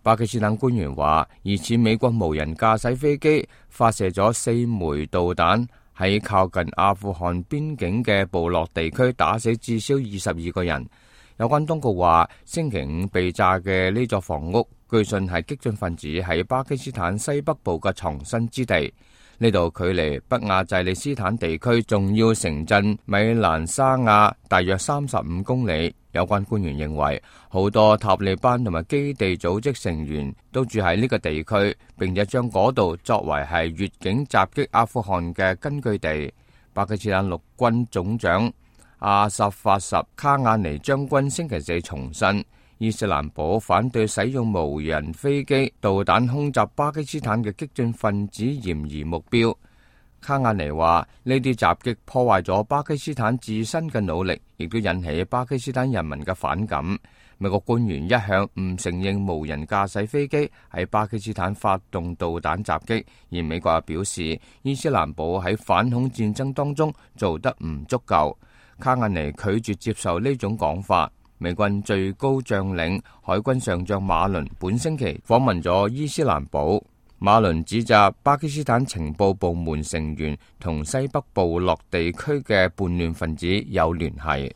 巴基斯坦官員話，疑似美國無人駕駛飛機發射咗4枚導彈，喺靠近阿富汗邊境嘅部落地區打死至少22個人。有關當局話，星期五被炸嘅呢座房屋，據信係激進分子喺巴基斯坦西北部嘅藏身之地。呢度距離北亞濟利斯坦地區重要城鎮米蘭沙亞大約35公里。有關官員認為，好多塔利班同埋基地組織成員都住喺呢個地區，並且將嗰度作為係越境襲擊阿富汗嘅根據地。巴基斯坦陸軍總長阿薩法什卡亞尼將軍星期四重申，伊斯蘭堡反對使用無人飛機、導彈空襲巴基斯坦嘅激進分子嫌疑目標。卡亞尼話，呢啲襲擊破壞咗巴基斯坦自身嘅努力，亦都引起巴基斯坦人民嘅反感。美國官員一向唔承認無人駕駛飛機喺巴基斯坦發動導彈襲擊，而美國又表示，伊斯蘭堡喺反恐戰爭當中做得唔足夠。卡亞尼拒絕接受呢種講法。美軍最高將領海軍上將馬倫本星期訪問咗伊斯蘭堡。馬倫指責巴基斯坦情報部門成員同西北部落地區嘅叛亂分子有聯繫。